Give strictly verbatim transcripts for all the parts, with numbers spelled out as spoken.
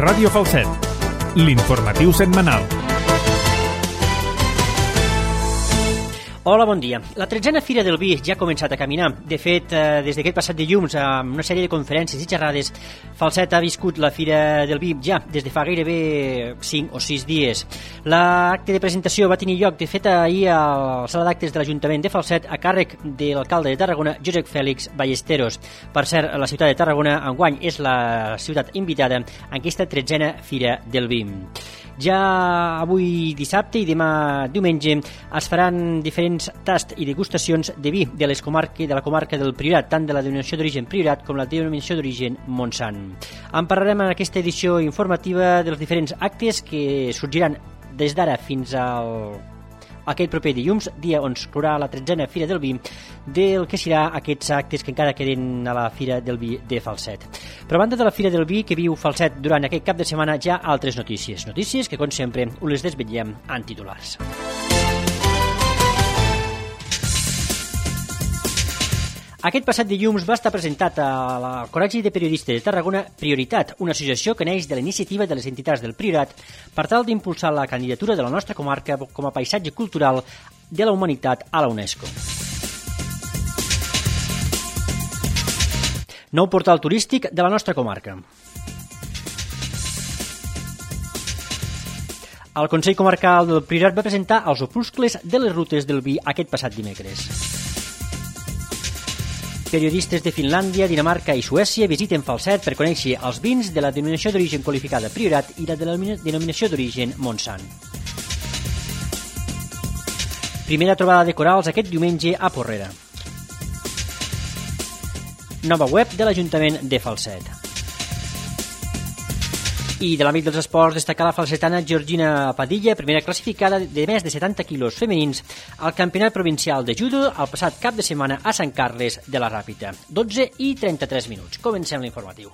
Ràdio Falset, l'informatiu setmanal. Hola, bon dia. La tretzena Fira del Vi ja ha començat a caminar. De fet, eh, des d'aquest passat dilluns, amb una sèrie de conferències i xerrades, Falset ha viscut la Fira del Vi ja des de fa gairebé cinc o sis dies. L'acte de presentació va tenir lloc, de fet, ahir a la sala d'actes de l'Ajuntament de Falset a càrrec de l'alcalde de Tarragona, Josep Fèlix Ballesteros. Per cert, la ciutat de Tarragona enguany és la ciutat invitada en aquesta tretzena Fira del Vi. Ja avui dissabte i demà diumenge es faran diferents tasts i degustacions de vi de, les comarques, de la comarca del Priorat, tant de la denominació d'origen Priorat com la denominació d'origen Montsant. En parlarem en aquesta edició informativa dels diferents actes que sorgiran des d'ara fins al aquest proper dilluns, dia on es clourà la tretzena Fira del Vi, del que serà aquests actes que encara queden a la Fira del Vi de Falset. Però a banda de la Fira del Vi que viu Falset durant aquest cap de setmana, hi ha altres notícies. Notícies que, com sempre, us les desvetllem en titulars. Aquest passat dilluns va estar presentat al Col·legi de Periodistes de Tarragona Prioritat, una associació que neix de la iniciativa de les entitats del Priorat per tal d'impulsar la candidatura de la nostra comarca com a paisatge cultural de la humanitat a la UNESCO. Nou portal turístic de la nostra comarca. El Consell Comarcal del Priorat va presentar els opuscles de les rutes del vi aquest passat dimecres. Periodistes de Finlàndia, Dinamarca i Suècia visiten Falset per conèixer els vins de la denominació d'origen qualificada Priorat i la de la denominació d'origen Montsant. Primera trobada de corals aquest diumenge a Porrera. Nova web de l'Ajuntament de Falset. I de l'àmbit dels esports destacar la falsetana Georgina Padilla, primera classificada de més de setanta quilos femenins al Campionat Provincial de Judo el passat cap de setmana a Sant Carles de la Ràpita. dotze i trenta-tres minuts. Comencem l'informatiu.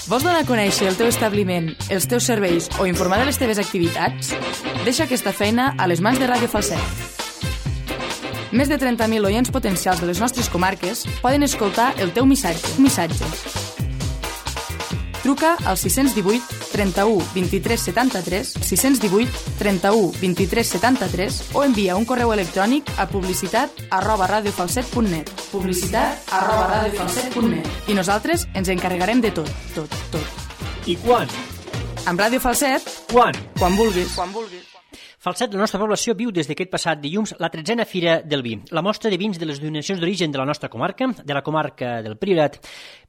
Vols donar a conèixer el teu establiment, els teus serveis o informar de les teves activitats? Deixa aquesta feina a les mans de Ràdio Falset. Més de trenta mil oients potencials de les nostres comarques poden escoltar el teu missatge. missatge. Truca al sis cents divuit trenta-u vint-i-tres setanta-tres, sis cents divuit trenta-u vint-i-tres setanta-tres o envia un correu electrònic a publicitat arroba radiofalset punt net publicitat arroba radiofalset punt net i nosaltres ens encarregarem de tot, tot, tot. I quan? Amb Ràdio Falset, quan? Quan vulguis. Quan vulguis. Falset, la nostra població, viu des d'aquest passat dilluns la tretzena Fira del Vi. La mostra de vins de les denominacions d'origen de la nostra comarca, de la comarca del Priorat,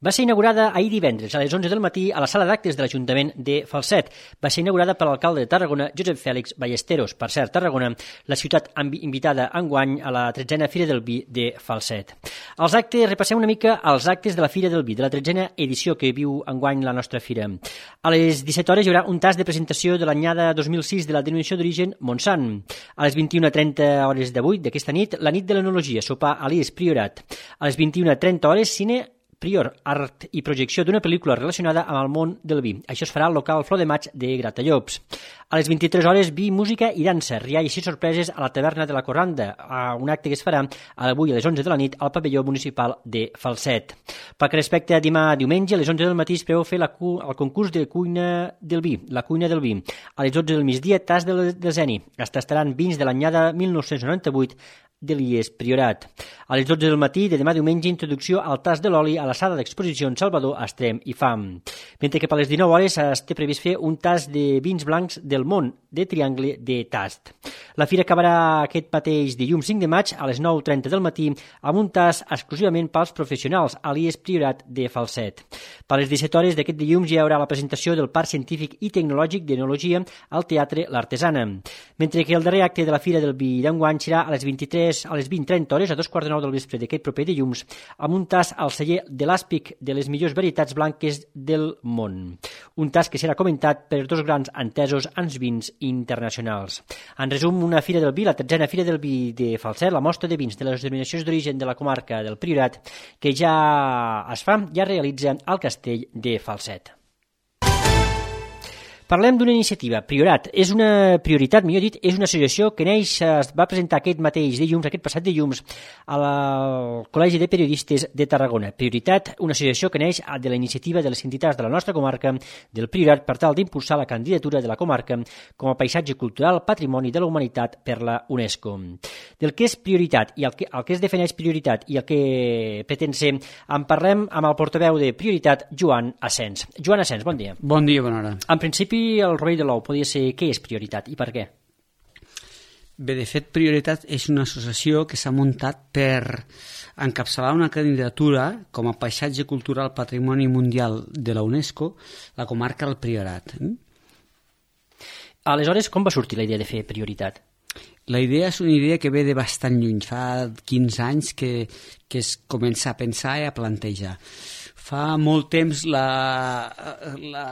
va ser inaugurada ahir divendres a les onze del matí a la sala d'actes de l'Ajuntament de Falset. Va ser inaugurada per l'alcalde de Tarragona, Josep Fèlix Ballesteros. Per cert, Tarragona, la ciutat invitada enguany a la tretzena Fira del Vi de Falset. Els actes, repassem una mica els actes de la Fira del Vi, de la tretzena edició que viu enguany la nostra fira. A les disset hores hi haurà un tast de presentació de l'anyada dos mil sis de la denominació d'origen Montsant. A les vint-i-una trenta hores d'avui, d'aquesta nit, la nit de l'enologia, sopar a l'I E S Priorat. A les vint-i-una trenta hores, cine Prior, art i projecció d'una pel·lícula relacionada amb el món del vi. Això es farà al local Flor de Maig de Gratallops. A les vint-i-tres hores, vi, música i dansa, rialls i sorpreses a la taverna de la Corranda, a un acte que es farà avui a les onze de la nit al pavelló municipal de Falset. Pel que respecte a demà diumenge, a les onze del matí es preveu fer la cu el concurs de cuina del vi, la cuina del vi. A les dotze del migdia, tas del deseni. Es tastaran vins de l'anyada mil nou-cents noranta-vuit de l'I E S Priorat. A les dotze del matí de demà diumenge, introducció al tas de l'oli a la sala d'exposicions Salvador, Estrem i Fam. Mentre que per les dinou hores es té previst fer un tas de vins blancs del món de triangle de tast. La fira acabarà aquest mateix dilluns cinc de maig a les nou trenta del matí amb un tas exclusivament pels professionals a l'I E S Priorat de Falset. Per les disset hores d'aquest dilluns hi haurà la presentació del Parc Científic i Tecnològic d'Enologia al Teatre L'Artesana. Mentre que el darrer acte de la Fira del Vi d'enguany serà a les vint-i-tres a les vint trenta hores, a dos quarts de nou del vespre d'aquest proper dilluns, amb un tas al celler de l'Àspic de les millors varietats blanques del món. Un tas que serà comentat per dos grans entesos en vins internacionals. En resum, una Fira del Vi, la tretzena Fira del Vi de Falset, la mostra de vins de les denominacions d'origen de la comarca del Priorat, que ja es fa, ja realitza al Castell de Falset. Parlem d'una iniciativa, Priorat. És una prioritat, millor dit, és una associació que neix, es va presentar aquest mateix dilluns, aquest passat dilluns, al Col·legi de Periodistes de Tarragona. Prioritat, una associació que neix de la iniciativa de les entitats de la nostra comarca del Priorat per tal d'impulsar la candidatura de la comarca com a paisatge cultural Patrimoni de la Humanitat per la UNESCO. Del que és prioritat i el que, el que es defineix prioritat i el que pretén ser, en parlem amb el portaveu de Prioritat, Joan Asens. Joan Asens, bon dia. Bon dia, bona hora. En principi, el rovell de l'ou podria ser què és prioritat i per què? Bé, de fet, Prioritat és una associació que s'ha muntat per encapçalar una candidatura com a paisatge cultural Patrimoni Mundial de la UNESCO, la comarca del Priorat. Aleshores, com va sortir la idea de fer prioritat? La idea és una idea que ve de bastant lluny, fa quinze anys que, que es comença a pensar i a plantejar. Fa molt temps la, la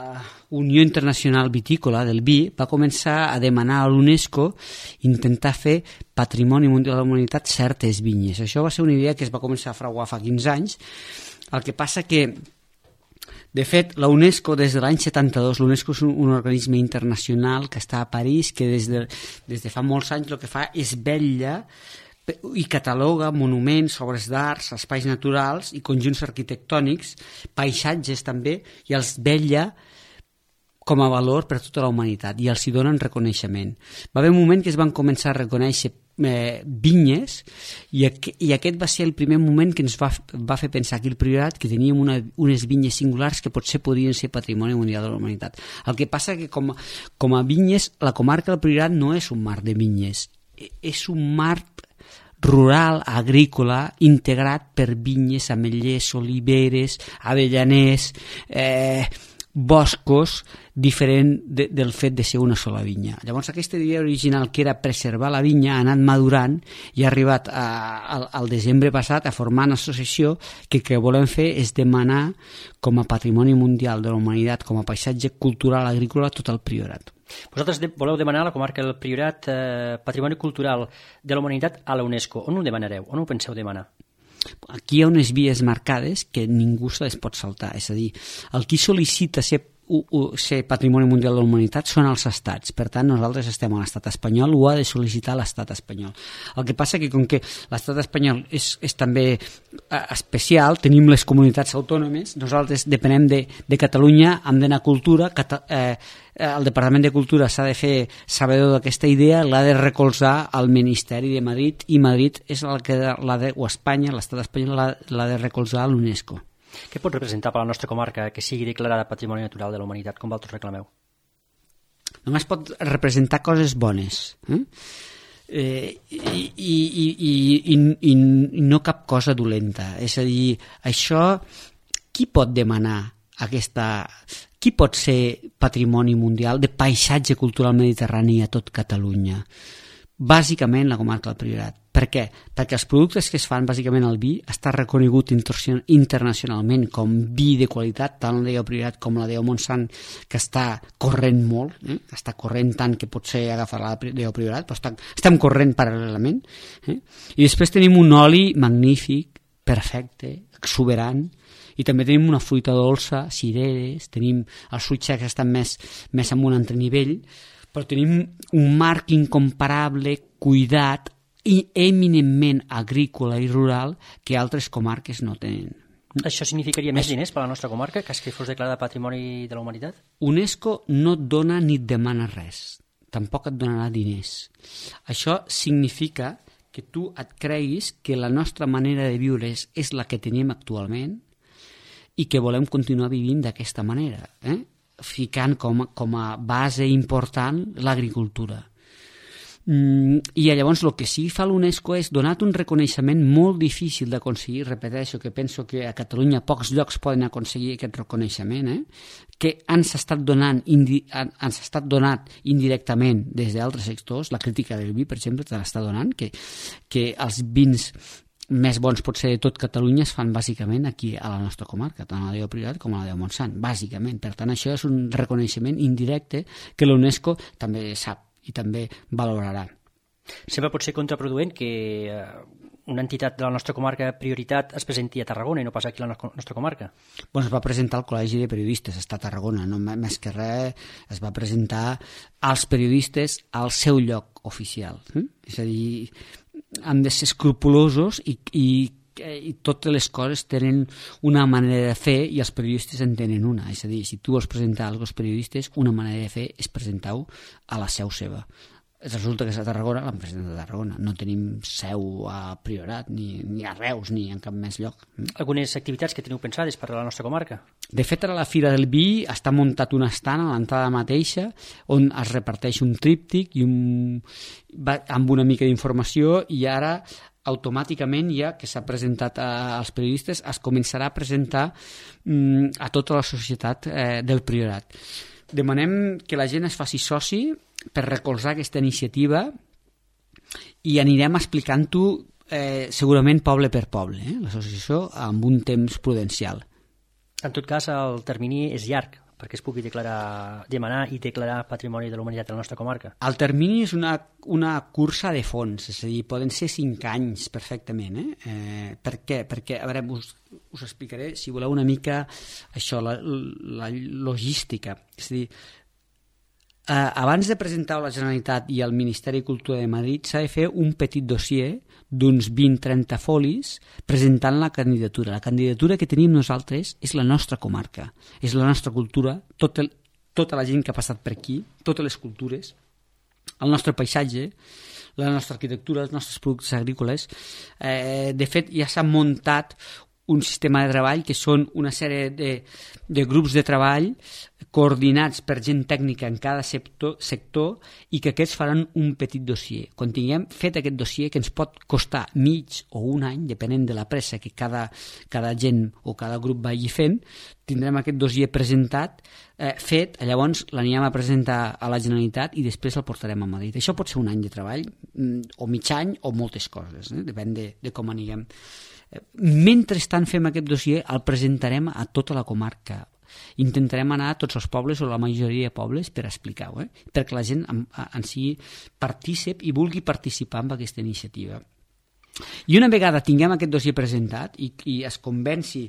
Unió Internacional Vitícola del vi va començar a demanar a l'UNESCO intentar fer Patrimoni Mundial de la Humanitat certes vinyes. Això va ser una idea que es va començar a fraguar fa quinze anys. El que passa que, de fet, la UNESCO, des de l'any setanta-dos, l'UNESCO és un, un organisme internacional que està a París, que des de, des de fa molts anys el que fa és vetlla i cataloga monuments, obres d'art, espais naturals i conjunts arquitectònics, paisatges també, i els vetlla com a valor per a tota la humanitat i els hi donen reconeixement. Va haver un moment que es van començar a reconèixer eh, vinyes i, aqu i aquest va ser el primer moment que ens va, va fer pensar aquí al Priorat que teníem una, unes vinyes singulars que potser podien ser Patrimoni Mundial de la Humanitat. El que passa que com, com a vinyes, la comarca del Priorat no és un mar de vinyes, és un mar rural, agrícola, integrat per vinyes, ametllers, oliveres, avellaners, eh, boscos, diferent de, del fet de ser una sola vinya. Llavors aquesta idea original, que era preservar la vinya, ha anat madurant i ha arribat a, a, al desembre passat a formar una associació que el que volem fer és demanar com a Patrimoni Mundial de la Humanitat, com a paisatge cultural agrícola, tot el Priorat. Vosaltres de, voleu demanar a la comarca del Priorat eh, Patrimoni Cultural de la Humanitat a la UNESCO. On ho demanareu? On ho penseu demanar? Aquí hi ha unes vies marcades que ningú se les pot saltar. És a dir, el qui sol·licita ser, u, u, ser Patrimoni Mundial de la Humanitat són els estats. Per tant, nosaltres estem a l'estat espanyol, ho ha de sol·licitar l'estat espanyol. El que passa que com que l'estat espanyol és, és també eh, especial, tenim les comunitats autònomes, nosaltres depenem de, de Catalunya, hem d'anar a Cultura, cata, eh, el Departament de Cultura s'ha de fer sabedor d'aquesta idea, l'ha de recolzar al Ministeri de Madrid i Madrid és el que l'ha de, o Espanya, l'estat espanyol l'ha de recolzar a l'UNESCO. Què pot representar per la nostra comarca que sigui declarada Patrimoni Natural de la Humanitat, com vosaltres reclameu? Només pot representar coses bones, eh? Eh, i, i, i, i, i, i no cap cosa dolenta. És a dir, això, qui pot demanar aquesta... Qui pot ser Patrimoni Mundial de paisatge cultural mediterrani a tot Catalunya? Bàsicament la comarca del Priorat. Per què? Perquè els productes que es fan, bàsicament el vi, està reconegut internacionalment com vi de qualitat, tant la del Priorat com la del Montsant, que està corrent molt, eh? està corrent tant que potser agafar la del Priorat, però està, estem corrent paral·lelament. Eh? I després tenim un oli magnífic, perfecte, exuberant, i també tenim una fruita dolça, cireres, tenim els fruits secs que estan més, més en un altre nivell, però tenim un marc incomparable, cuidat i eminentment agrícola i rural que altres comarques no tenen. Això significaria més diners per a la nostra comarca que que fos declarada Patrimoni de la Humanitat? UNESCO no et dona ni et demana res, tampoc et donarà diners. Això significa que tu et creguis que la nostra manera de viure és, és la que tenim actualment i que volem continuar vivint d'aquesta manera, eh? ficant com, com a base important l'agricultura. Mm, I llavors el que sí fa l'UNESCO és donar-te un reconeixement molt difícil d'aconseguir, repeteixo que penso que a Catalunya pocs llocs poden aconseguir aquest reconeixement, eh? que ens ha estat donant indi ens ha estat donat indirectament des d'altres sectors, la crítica del vi, per exemple, te l'està donant, que, que els vins més bons potser de tot Catalunya es fan bàsicament aquí a la nostra comarca, tant a la del Priorat com a la del Montsant, bàsicament. Per tant, això és un reconeixement indirecte que l'UNESCO també sap i també valorarà. Sempre pot ser contraproduent que eh, una entitat de la nostra comarca prioritat es presenti a Tarragona i no pas aquí a la nostra comarca? Bueno, es va presentar al Col·legi de Periodistes, està a Tarragona, no més que res, es va presentar als periodistes al seu lloc oficial. Eh? És a dir, han de ser escrupulosos i, i i totes les coses tenen una manera de fer i els periodistes en tenen una. És a dir, si tu vols presentar alguna cosa als periodistes, una manera de fer és presentar-ho a la seu seva. Resulta que és a Tarragona, l'han presentat a Tarragona. No tenim seu a Priorat, ni, ni a Reus, ni en cap més lloc. Algunes activitats que teniu pensades per a la nostra comarca? De fet, a la Fira del Vi està muntat un estant a l'entrada mateixa on es reparteix un tríptic i un, amb una mica d'informació, i ara automàticament, ja que s'ha presentat a, als periodistes, es començarà a presentar mm, a tota la societat eh, del Priorat. Demanem que la gent es faci soci per recolzar aquesta iniciativa i anirem explicant-ho eh, segurament poble per poble, eh, l'associació, amb un temps prudencial. En tot cas, el termini és llarg perquè es pugui declarar, demanar i declarar Patrimoni de la Humanitat a la nostra comarca. El termini és una, una cursa de fons, és a dir, poden ser cinc anys perfectament. Eh? Eh, per què? Perquè, a veure, us, us explicaré, si voleu, una mica això, la, la logística. És a dir, eh, abans de presentar a la Generalitat i al Ministeri de Cultura de Madrid s'ha de fer un petit dossier d'uns vint a trenta folis presentant la candidatura. La candidatura que tenim nosaltres és la nostra comarca, és la nostra cultura, tot el, tota la gent que ha passat per aquí, totes les cultures, el nostre paisatge, la nostra arquitectura, els nostres productes agrícoles. Eh, de fet, ja s'ha muntat un sistema de treball que són una sèrie de, de grups de treball coordinats per gent tècnica en cada sector, sector i que aquests faran un petit dossier. Quan tinguem fet aquest dossier, que ens pot costar mig o un any, depenent de la pressa que cada, cada gent o cada grup vagi fent, tindrem aquest dossier presentat, eh, fet, llavors l'anirem a presentar a la Generalitat i després el portarem a Madrid. Això pot ser un any de treball, o mig any, o moltes coses, eh? Depèn de, de com anirem. Mentrestant fem aquest dossier, el presentarem a tota la comarca. Intentarem anar a tots els pobles o la majoria de pobles per explicar-ho, eh? Perquè la gent en, en sigui partícip i vulgui participar en aquesta iniciativa. I una vegada tinguem aquest dossier presentat i, i es convenci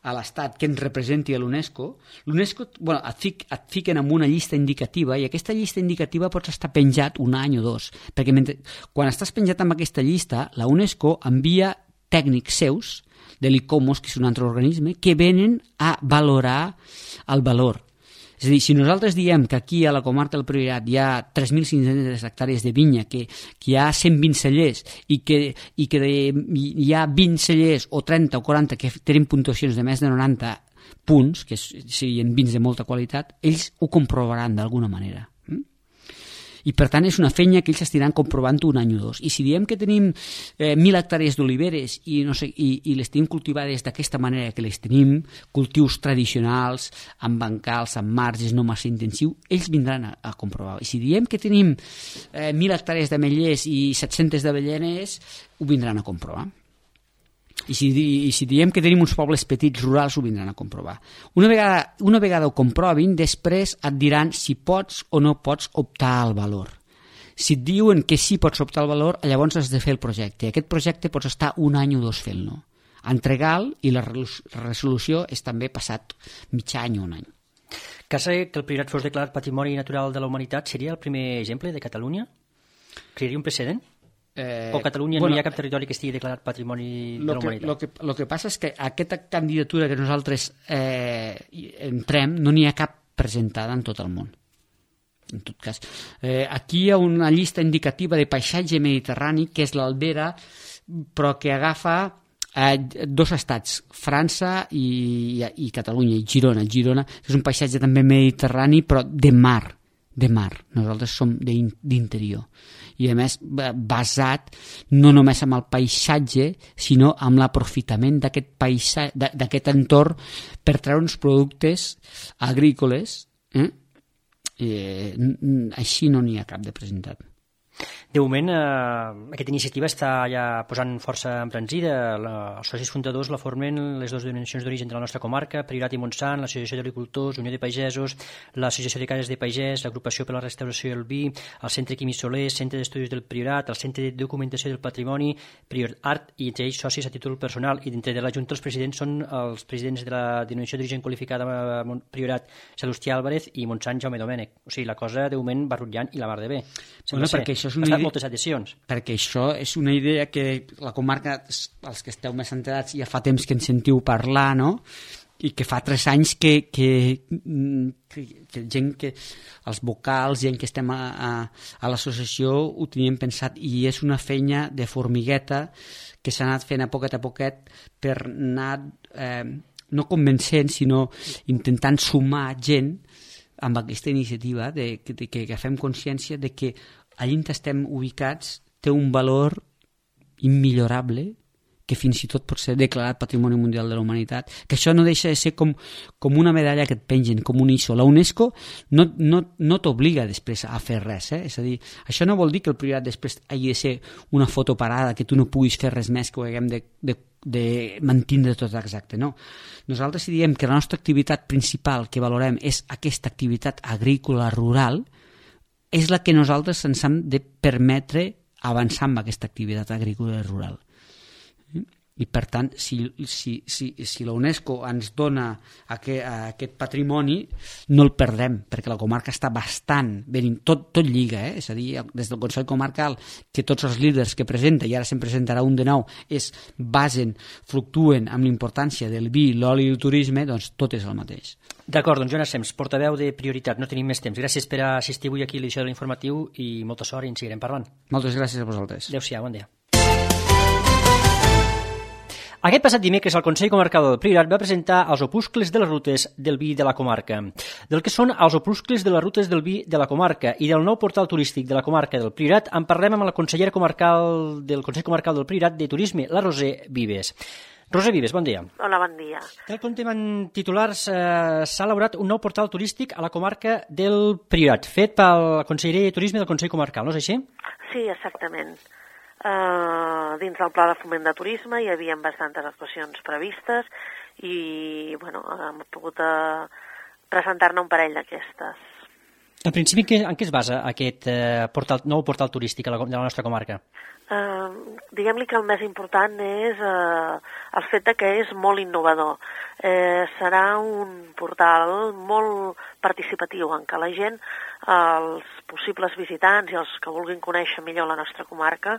a l'Estat que ens representi a l'UNESCO, l'UNESCO bueno, et, fic, et fiquen en una llista indicativa i aquesta llista indicativa pots estar penjat un any o dos, perquè mentre, quan estàs penjat amb aquesta llista, la UNESCO envia tècnics seus, de l'ICOMOS, que és un altre organisme, que venen a valorar el valor. És a dir, si nosaltres diem que aquí a la comarca del Priorat hi ha tres mil cinc-centes hectàrees de vinya, que, que hi ha cent vint cellers i que, i que de, hi ha vint cellers o trenta o quaranta que tenen puntuacions de més de noranta punts, que siguin vins de molta qualitat, ells ho comprovaran d'alguna manera. I per tant és una feina que ells estiran comprovant un any o dos. I si diem que tenim eh, mil hectàrees d'oliveres i, no sé, i, i les tenim cultivades d'aquesta manera que les tenim, cultius tradicionals, amb bancals, amb marges, no massa intensiu, ells vindran a, a comprovar. I si diem que tenim eh, mil hectàrees d'ametllers i set-centes d'avellenes, ho vindran a comprovar. I si, i si diem que tenim uns pobles petits rurals, ho vindran a comprovar. Una vegada, una vegada ho comprovin, després et diran si pots o no pots optar al valor. Si et diuen que sí pots optar al valor, llavors has de fer el projecte. Aquest projecte pots estar un any o dos fent-lo. Entregar-lo i la resolució és també passat mig any o un any. Cas que el Priorat fos declarat Patrimoni Natural de la Humanitat seria el primer exemple de Catalunya? Crearia un precedent? Eh, o Catalunya bueno, no hi ha cap territori que estigui declarat Patrimoni de la Humanitat? El que, lo que passa és que aquesta candidatura que nosaltres eh, entrem no n'hi ha cap presentada en tot el món. En tot cas, eh, aquí hi ha una llista indicativa de paisatge mediterrani que és l'Albera, però que agafa eh, dos estats, França i, i, i Catalunya, i Girona. Girona és un paisatge també mediterrani, però de mar. de mar, nosaltres som d'interior i a més basat no només amb el paisatge sinó amb l'aprofitament d'aquest paisatge, d'aquest entorn per treure uns productes agrícoles eh? Eh, així no n'hi ha cap de presentat. De moment, eh, aquesta iniciativa està ja posant força embranzida. La, els socis fundadors la formen les dues denominacions d'origen de la nostra comarca, Priorat i Montsant, l'Associació d'Agricultors, Unió de Pagesos, l'Associació de Cases de Pagès, l'Agrupació per la Restauració del Vi, el Centre Quimi Soler, Centre d'Estudis del Priorat, el Centre de Documentació del Patrimoni, Prior Art, i entre ells socis a títol personal. I dintre de la Junta els presidents són els presidents de la denominació d'origen qualificada Priorat, Salustià Álvarez, i Montsant, Jaume Domènech. O sigui, la cosa de moment va rutllant i la mar de bé. Bueno, perquè això és una idea... moltes adhesions. Perquè això és una idea que la comarca, els que esteu més enterats, ja fa temps que en sentiu parlar, no? I que fa tres anys que, que, que, que gent que els vocals, gent que estem a, a, a l'associació ho teníem pensat, i és una feina de formigueta que s'ha anat fent a poquet a poquet per anar eh, no convencent, sinó intentant sumar gent amb aquesta iniciativa de, de, de que agafem consciència de que allà on estem ubicats té un valor immillorable, que fins i tot pot ser declarat Patrimoni Mundial de la Humanitat, que això no deixa de ser com, com una medalla que et pengen, com un I S O. La UNESCO no, no, no t'obliga després a fer res, eh? És a dir, això no vol dir que el Priorat després hagi de ser una foto parada, que tu no puguis fer res més, que ho haguem de, de, de mantindre tot exacte, no. Nosaltres si diem que la nostra activitat principal que valorem és aquesta activitat agrícola rural, és la que nosaltres ens hem de permetre avançar amb aquesta activitat agrícola rural. I per tant, si, si, si, si la UNESCO ens dona aquest, aquest patrimoni, no el perdem, perquè la comarca està bastant ben, tot, tot lliga, eh? És a dir, des del Consell Comarcal, que tots els líders que presenta, i ara se'n presentarà un de nou, es basen, fluctuen amb l'importància del vi, l'oli i el turisme, doncs tot és el mateix. D'acord, doncs Jonas Sems, portaveu de Prioritat, no tenim més temps. Gràcies per assistir avui aquí a l'edició de l'informatiu i molta sort i en seguirem parlant. Moltes gràcies a vosaltres. Adéu-siau, bon dia. Aquest passat dimecres el Consell Comarcal del Priorat va presentar els opuscles de les rutes del vi de la comarca. Del que són els opuscles de les rutes del vi de la comarca i del nou portal turístic de la comarca del Priorat en parlem amb la consellera comarcal del Consell Comarcal del Priorat de Turisme, la Roser Vives. Roser Vives, bon dia. Hola, bon dia. Tal com tenen titulars, eh, s'ha elaborat un nou portal turístic a la comarca del Priorat, fet pel conseller de Turisme del Consell Comarcal, no és així? Sí, exactament. Uh, dins del Pla de Foment de Turisme hi havia bastantes actuacions previstes i bueno, hem pogut uh, presentar-ne un parell d'aquestes. En principi, en què, en què es basa aquest uh, portal, nou portal turístic a la, de la nostra comarca? Uh, diguem-li que el més important és uh, el fet de que és molt innovador. Eh, serà un portal molt participatiu en què la gent, els possibles visitants i els que vulguin conèixer millor la nostra comarca,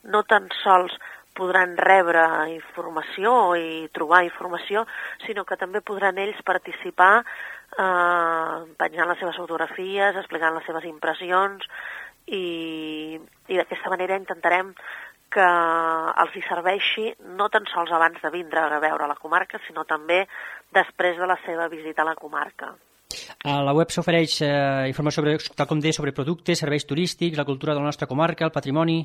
no tan sols podran rebre informació i trobar informació, sinó que també podran ells participar eh, penjant les seves fotografies, explicant les seves impressions i, i d'aquesta manera intentarem que els hi serveixi no tan sols abans de vindre a veure la comarca, sinó també després de la seva visita a la comarca. A la web s'ofereix eh, informació sobre, tal com deia, sobre productes, serveis turístics, la cultura de la nostra comarca, el patrimoni...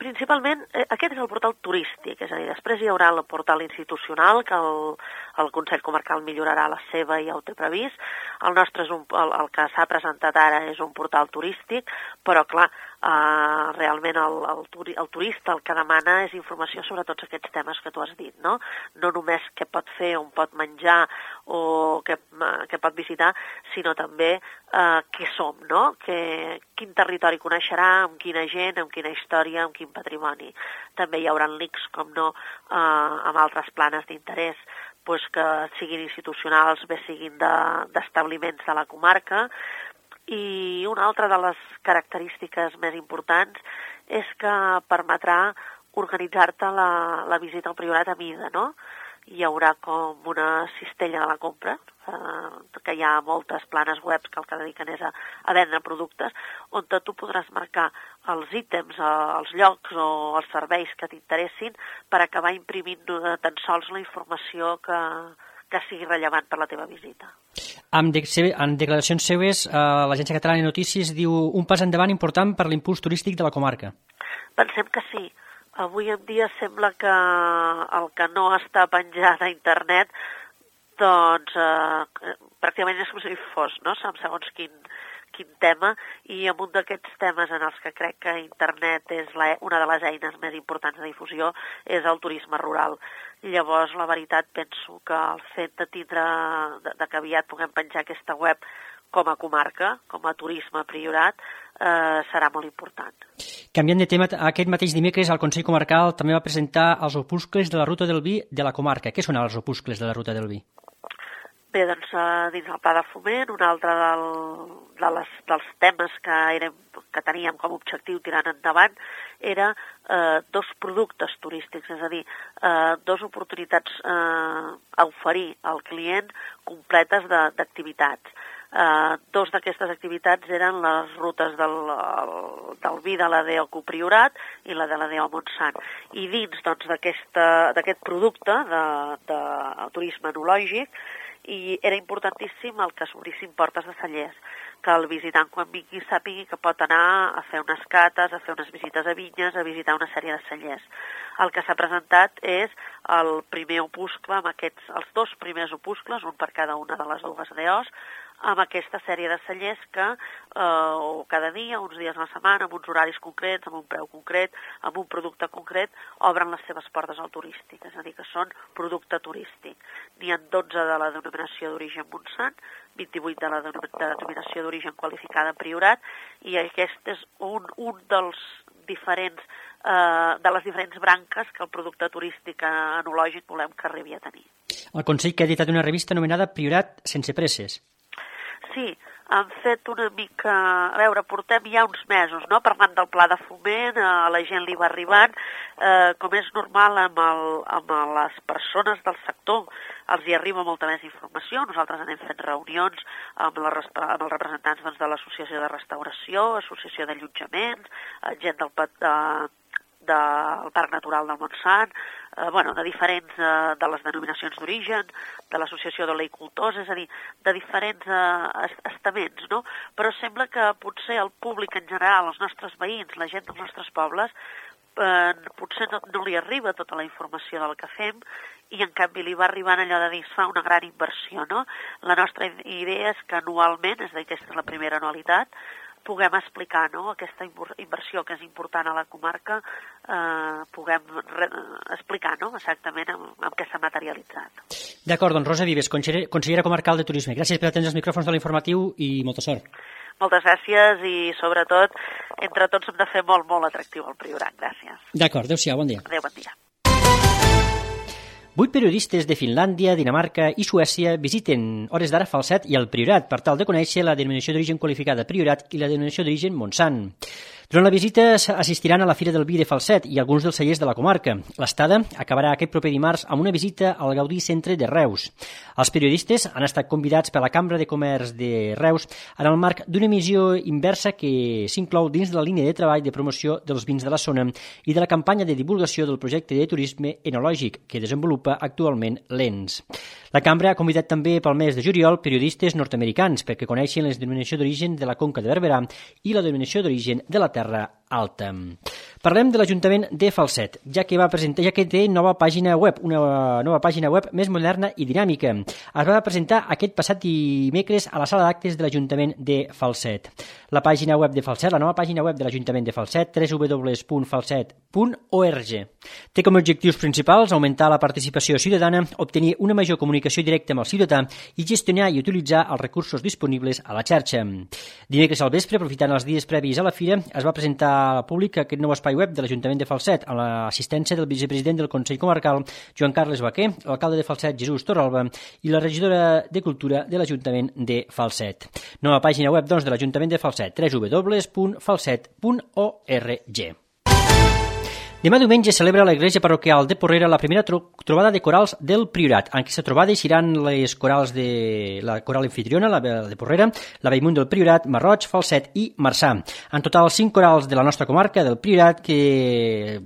Principalment, eh, aquest és el portal turístic, és a dir, després hi haurà el portal institucional, que el, el Consell Comarcal millorarà la seva i ja ho té previst. El nostre és un, el, el que s'ha presentat ara és un portal turístic, però clar, eh, realment el, el, turi, el turista el que demana és informació sobre tots aquests temes que tu has dit, no? No només què pot fer, on pot menjar o què, què pot visitar, sinó també eh, què som, no? Que, quin territori coneixerà, amb quina gent, amb quina història, amb quin patrimoni. També hi haurà links, com no, eh, amb altres planes d'interès, pues, que siguin institucionals, bé siguin d'establiments de, de la comarca. I una altra de les característiques més importants és que permetrà organitzar-te la, la visita al Priorat a mida, no? Hi haurà com una cistella de la compra, eh, que hi ha moltes planes web que el que dediquen és a, a vendre productes, on tu podràs marcar els ítems, els llocs o els serveis que t'interessin per acabar imprimint tan sols la informació que, que sigui rellevant per la teva visita. En, de, en declaracions seues, eh, l'Agència Catalana de Notícies diu un pas endavant important per l'impuls turístic de la comarca. Pensem que sí. Avui en dia sembla que el que no està penjat a internet doncs eh, pràcticament és com si fos, no? Segons quin, quin tema, i en un d'aquests temes en els que crec que internet és la, una de les eines més importants de difusió és el turisme rural. Llavors, la veritat, penso que el fet de tindre, de, de que aviat puguem penjar aquesta web com a comarca, com a turisme Priorat, eh, serà molt important. Canviant de tema, aquest mateix dimecres el Consell Comarcal també va presentar els opuscles de la Ruta del Vi de la comarca. Què són els opuscles de la Ruta del Vi? Bé, doncs, dins el pla de foment, un altre del, de les, dels temes que, érem, que teníem com a objectiu tirant endavant era eh, dos productes turístics, és a dir, eh, dos oportunitats eh, a oferir al client completes d'activitats. Uh, dos d'aquestes activitats eren les rutes del, el, del vi de l'A D O Priorat i la de l'A D O Montsant. I dins doncs, d'aquest producte de, de turisme enològic i era importantíssim el que s'obrissin portes de cellers, que el visitant quan vingui sàpigui que pot anar a fer unes cates, a fer unes visites a vinyes, a visitar una sèrie de cellers. El que s'ha presentat és el primer opuscle, amb aquests, els dos primers opuscles, un per cada una de les dues A D Os, amb aquesta sèrie de cellers que eh, cada dia, uns dies a la setmana, amb uns horaris concrets, amb un preu concret, amb un producte concret, obren les seves portes al turístic, és a dir, que són producte turístic. N'hi ha dotze de la denominació d'origen Montsant, vint-i-vuit de la denominació d'origen qualificada Priorat, i aquest és un, un dels diferents, eh, de les diferents branques que el producte turístic enològic volem que arribi a tenir. El Consell que ha editat una revista anomenada Priorat sense presses. Sí, han fet una mica... A veure, portem ja uns mesos, no?, parlant del pla de foment, a la gent li va arribant, eh, com és normal amb, el, amb les persones del sector, els hi arriba molta més informació. Nosaltres anem fent reunions amb, la, amb els representants doncs, de l'Associació de Restauració, Associació d'Allotjaments, gent del, de, del Parc Natural del Montsant, eh, bueno, de diferents, eh, de les denominacions d'origen, de l'Associació d'Oleicultors, és a dir, de diferents eh, estaments, no? Però sembla que potser el públic en general, els nostres veïns, la gent dels nostres pobles, eh, potser no, no li arriba tota la informació del que fem i en canvi li va arribant allò de dir es fa una gran inversió, no? La nostra idea és que anualment, és a dir, aquesta és la primera anualitat, puguem explicar, no?, aquesta inversió que és important a la comarca, eh, puguem re explicar, no?, exactament amb, amb què s'ha materialitzat. D'acord, doncs Rosa Vives, consellera comarcal de Turisme. Gràcies per atendre els micròfons de l'informatiu i molta sort. Moltes gràcies i, sobretot, entre tots hem de fer molt, molt atractiu el Priorat. Gràcies. D'acord, adéu-siau, bon dia. Adéu, bon dia. Vuit periodistes de Finlàndia, Dinamarca i Suècia visiten hores d'ara Falset i el Priorat per tal de conèixer la denominació d'origen qualificada Priorat i la denominació d'origen Montsant. Durant la visita assistiran a la Fira del Vi de Falset i alguns dels cellers de la comarca. L'estada acabarà aquest proper dimarts amb una visita al Gaudí Centre de Reus. Els periodistes han estat convidats per la Cambra de Comerç de Reus en el marc d'una missió inversa que s'inclou dins de la línia de treball de promoció dels vins de la zona i de la campanya de divulgació del projecte de turisme enològic que desenvolupa actualment l'E N S. La Cambra ha convidat també pel mes de juliol periodistes nord-americans perquè coneixin les denominacions d'origen de la Conca de Barberà i la denominació d'origen de la Terra Alta. Parlem de l'Ajuntament de Falset, ja que va presentar, ja que té nova pàgina web, una nova pàgina web més moderna i dinàmica. Es va presentar aquest passat dimecres a la sala d'actes de l'Ajuntament de Falset. La pàgina web de Falset, la nova pàgina web de l'Ajuntament de Falset, w w w punt falset punt org. Té com a objectius principals augmentar la participació ciutadana, obtenir una major comunicació directa amb el ciutadà i gestionar i utilitzar els recursos disponibles a la xarxa. Dimecres al vespre, aprofitant els dies previs a la fira, es va presentar al públic aquest nou espai web de l'Ajuntament de Falset amb l'assistència del vicepresident del Consell Comarcal, Joan Carles Baquer, l'alcalde de Falset, Jesús Torralba, i la regidora de Cultura de l'Ajuntament de Falset. Nova pàgina web, doncs, de l'Ajuntament de Falset, w w w punt falset punt org. Demà diumenge celebra l'Església Parroquial de Porrera la primera tro trobada de corals del Priorat. En aquesta trobada hi seran les corals de la coral anfitriona, la de Porrera, la Bellmunt del Priorat, Marroig, Falset i Marçà. En total, cinc corals de la nostra comarca, del Priorat, que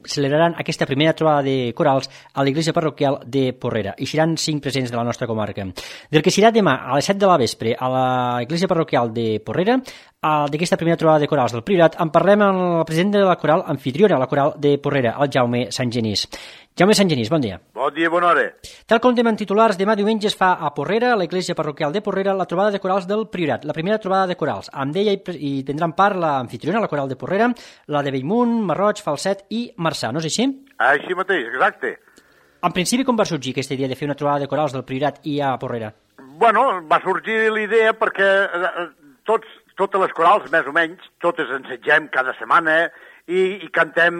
celebraran aquesta primera trobada de corals a l'Església Parroquial de Porrera. Hi seran cinc presents de la nostra comarca. Del que serà demà a les set de la vespre a l'Església Parroquial de Porrera, d'aquesta primera trobada de corals del Priorat, en parlem amb el president de la coral anfitriona, la coral de Porrera, el Jaume Sant Genís. Jaume Sant Genís, bon dia. Bon dia, bona hora. Tal com demà en titulars, demà diumenge es fa a Porrera, a l'església parroquial de Porrera, la trobada de corals del Priorat, la primera trobada de corals. Amb ella hi, hi tindran part l'anfitriona, la coral de Porrera, la de Bellmunt, Marroig, Falset i Marçà, no és així? Així mateix, exacte. En principi, com va sorgir aquesta idea de fer una trobada de corals del Priorat i a Porrera? Bueno, va sorgir l'idea perquè tots, totes les corals, més o menys, totes ensegem cada setmana, I, i cantem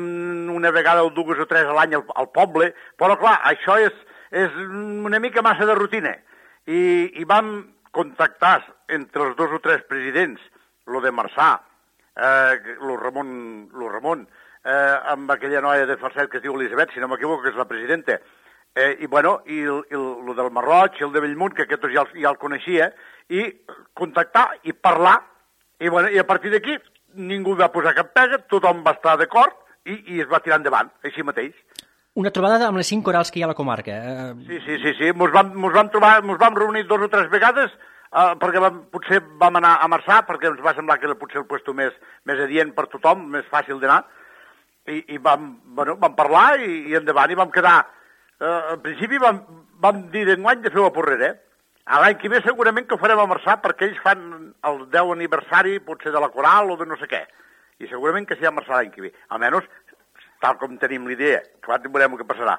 una vegada o dues o tres a l'any al, al poble, però clar, això és, és una mica massa de rutina. I, i vam contactar entre els dos o tres presidents, lo de Marçà, eh, lo Ramon, lo Ramon eh, amb aquella noia de Falset que es diu Elisabet, si no m'equivoco, que és la presidenta, eh, i bueno, i el, el, lo del Marroig, el de Bellmunt, que aquest ja, ja el coneixia, i contactar i parlar, i, bueno, i a partir d'aquí ningú va posar cap pega, tothom va estar d'acord i, i es va tirar endavant, així mateix. Una trobada amb les cinc corals que hi ha a la comarca. Eh... Sí, sí, sí, sí. Mos vam, mos vam trobar, mos vam reunir dos o tres vegades, eh, perquè vam, potser vam anar a Marçà, perquè ens va semblar que era potser el puesto més, més adient per tothom, més fàcil d'anar, i, i vam, bueno, vam parlar i, i endavant, i vam quedar... Eh, al principi vam, vam dir d'enguany de fer a Porrera, eh? A l'any que ve segurament que ho farem a Marçà perquè ells fan el deu aniversari potser de la coral o de no sé què. I segurament que sigui a Marçà l'any que ve. Almenys, tal com tenim l'idea. Clar, veurem què passarà.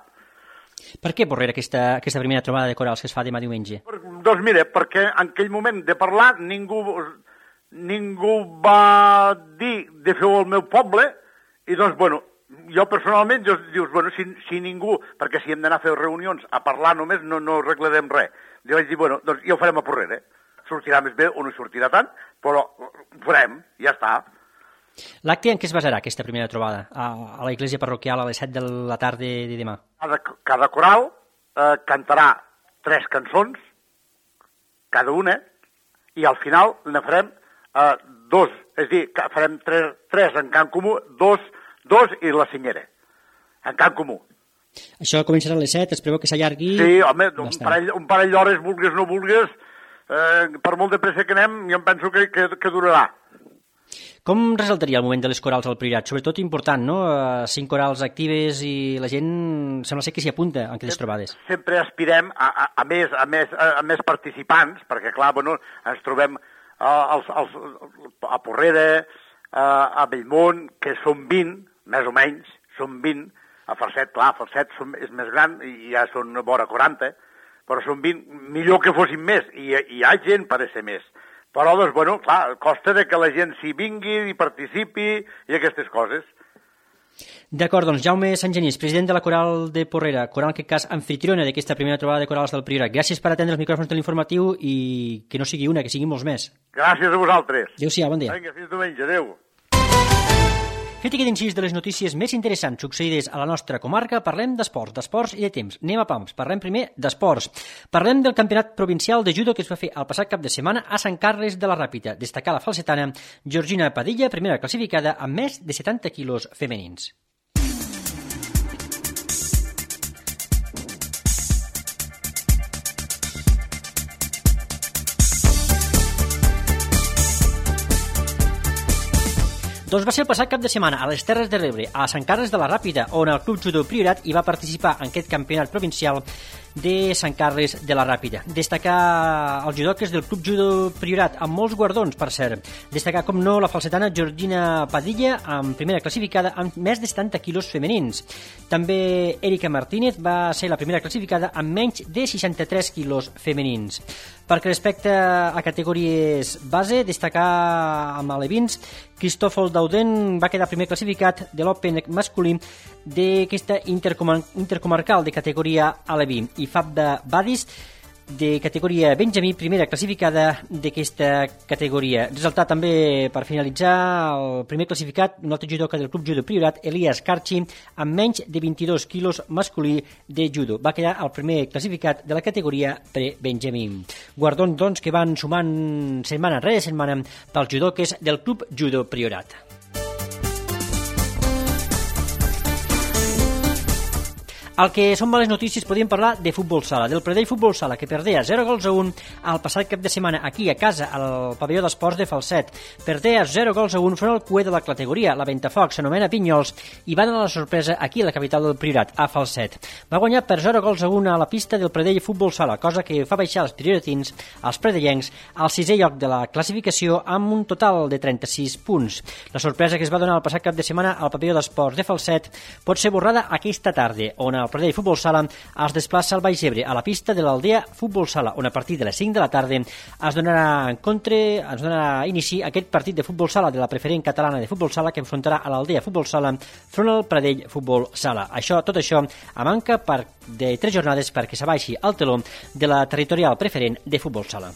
Per què Porrera aquesta, aquesta primera trobada de corals que es fa demà diumenge? Doncs mira, perquè en aquell moment de parlar ningú, ningú va dir de fer-ho al meu poble i doncs, bueno, jo personalment, jo, dius, bueno, si, si ningú, perquè si hem d'anar a fer reunions a parlar només no, no arreglarem res. Jo vaig dir, bueno, doncs ja ho farem a Porrera. Sortirà més bé o no sortirà tant, però ho farem, ja està. L'acte en què es basarà, aquesta primera trobada? A, a la iglesia parroquial a les set de la tarda de demà? Cada, cada coral eh, cantarà tres cançons, cada una, i al final ne farem eh, dos, és a dir, farem tres, tres en cant comú, dos, dos i la senyera, en cant comú. Això començarà a les set, es preveu que s'allargui... Sí, home, un parell, un parell d'hores, vulgues no vulgues, eh, per molt de pressa que anem, jo em penso que, que, que durarà. Com resaltaria el moment de les corals al Priorat? Sobretot important, no? Cinc corals actives i la gent sembla ser que s'hi apunta en aquestes trobades. Sempre aspirem a, a, a, més, a, més, a, a més participants, perquè, clar, bueno, ens trobem a, als, als, a Porrera, a, a Bellmunt, que són vint, més o menys, són vint. A Falset, clar, a Falset som, és més gran i ja són vora quaranta, però són vint, millor que fossin més, i hi ha gent per ser més. Però, doncs, bueno, clar, costa de que la gent s'hi vingui i participi i aquestes coses. D'acord, doncs, Jaume Sant Genís, president de la Coral de Porrera, coral en aquest cas anfitriona d'aquesta primera trobada de corals del Priorat. Gràcies per atendre els micròfons de l'informatiu i que no sigui una, que siguin molts més. Gràcies a vosaltres. Adéu-siau, bon dia. Vinga, fins diumenge, adéu. Fet aquest incís de les notícies més interessants succeïdes a la nostra comarca, parlem d'esports, d'esports i de temps. Anem a pams, parlem primer d'esports. Parlem del campionat provincial de judo que es va fer el passat cap de setmana a Sant Carles de la Ràpita. Destacar la falsetana Georgina Padilla, primera classificada amb més de setanta quilos femenins. Doncs va ser el passat cap de setmana a les Terres de l'Ebre, a Sant Carles de la Ràpita, on el Club Judo Priorat hi va participar en aquest campionat provincial de Sant Carles de la Ràpita. Destacar els judoques del Club Judo Priorat, amb molts guardons, per cert. Destacar, com no, la falsetana Georgina Padilla, amb primera classificada amb més de setanta quilos femenins. També Erika Martínez va ser la primera classificada amb menys de seixanta-tres quilos femenins. Perquè respecte a categories base, destacar amb alevins, Cristòfol Dauden va quedar primer classificat de l'Open masculí d'aquesta intercomar intercomarcal de categoria aleví, i Fabda Badis de categoria Benjamí, primera classificada d'aquesta categoria. Resultat també, per finalitzar, el primer classificat, un altre judoka del Club Judo Priorat, Elias Carchi, amb menys de vint-i-dos quilos masculí de judo. Va quedar el primer classificat de la categoria pre-Benjamí. Guardons, doncs, que van sumant setmana rere setmana pels judoques del Club Judo Priorat. El que són males notícies, podríem parlar de futbol sala, del Pradell Futbol Sala, que perdea zero gols a un el passat cap de setmana aquí a casa, al pavelló d'esports de Falset. Perdea zero gols a un front al cué de la categoria, la Ventafocs, s'anomena Pinyols, i va donar la sorpresa aquí a la capital del Priorat, a Falset. Va guanyar per zero gols a un a la pista del Pradell Futbol Sala, cosa que fa baixar els prioratins, els predellencs, al sisè lloc de la classificació amb un total de trenta-sis punts. La sorpresa que es va donar el passat cap de setmana al pavelló d'esports de Falset pot ser borrada aquesta tarda, on el Pradell Futbol Sala es desplaça al Baix Ebre, a la pista de l'Aldea Futbol Sala, on a partir de les cinc de la tarda es donarà en contra, es donarà inici aquest partit de futbol sala de la preferent catalana de futbol sala que enfrontarà a l'Aldea Futbol Sala front al Pradell Futbol Sala. Això, tot això a manca per, de tres jornades perquè s'abaixi el teló de la territorial preferent de futbol sala.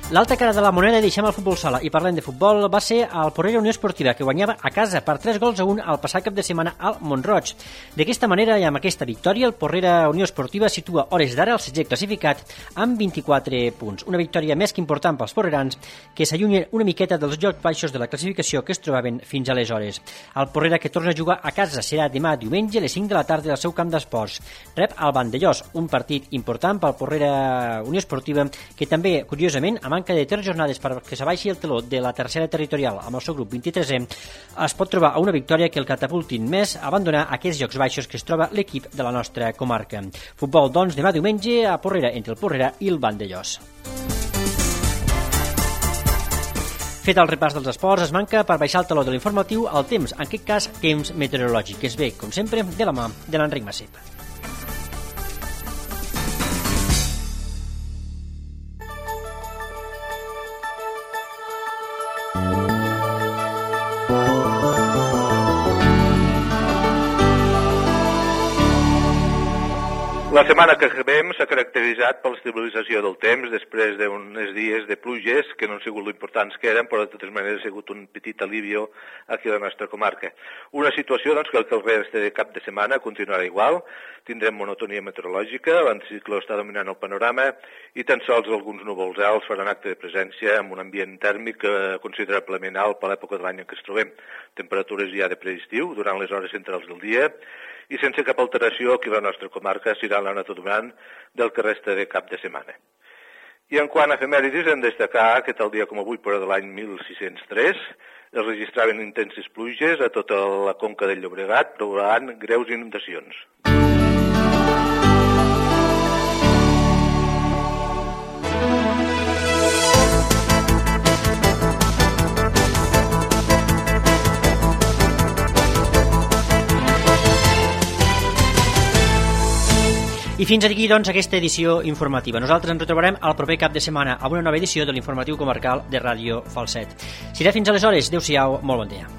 L'altra cara de la moneda, deixem el futbol sala i parlem de futbol, va ser el Porrera Unió Esportiva, que guanyava a casa per tres gols a un al passat cap de setmana al Mont-roig. D'aquesta manera i amb aquesta victòria, el Porrera Unió Esportiva situa hores d'ara el setze classificat amb vint-i-quatre punts. Una victòria més que important pels porrerans, que s'allunyen una miqueta dels llocs baixos de la classificació que es trobaven fins aleshores. El Porrera, que torna a jugar a casa, serà demà diumenge a les cinc de la tarda al seu camp d'esports. Rep el Vandellós, un partit important pel Porrera Unió Esportiva, que també, curiosament, a manca de tres jornades perquè s'abaixi el teló de la tercera territorial amb el seu grup vint-i-tresè, es pot trobar a una victòria que el catapultin més a abandonar aquests llocs baixos que es troba l'equip de la nostra comarca. Futbol, doncs, demà diumenge a Porrera, entre el Porrera i el Vandellós. Fet el repàs dels esports, es manca per baixar el teló de l'informatiu el temps, en aquest cas temps meteorològic, que es ve, com sempre, de la mà de l'Enric Massip. La setmana que acabem s'ha caracteritzat per l'estabilització del temps després d'uns dies de pluges que no han sigut l'importants que eren, però de totes maneres ha sigut un petit alivio aquí a la nostra comarca. Una situació doncs, que el reste de cap de setmana continuarà igual, tindrem monotonia meteorològica, l'anticicló està dominant el panorama i tan sols alguns núvols alts faran acte de presència amb un ambient tèrmic considerablement alt per l'època de l'any en què es trobem. Temperatures ja de preestiu durant les hores centrals del dia i sense cap alteració aquí a la nostra comarca serà la nota dominant del que resta de cap de setmana. I en quant a efemèrides, hem de destacar que tal dia com avui, però de l'any mil sis-cents tres, es registraven intenses pluges a tota la conca del Llobregat, provocant greus inundacions. I fins aquí, doncs, aquesta edició informativa. Nosaltres ens retrobarem el proper cap de setmana amb una nova edició de l'informatiu comarcal de Ràdio Falset. Serà fins aleshores. Adéu-siau, molt bon dia.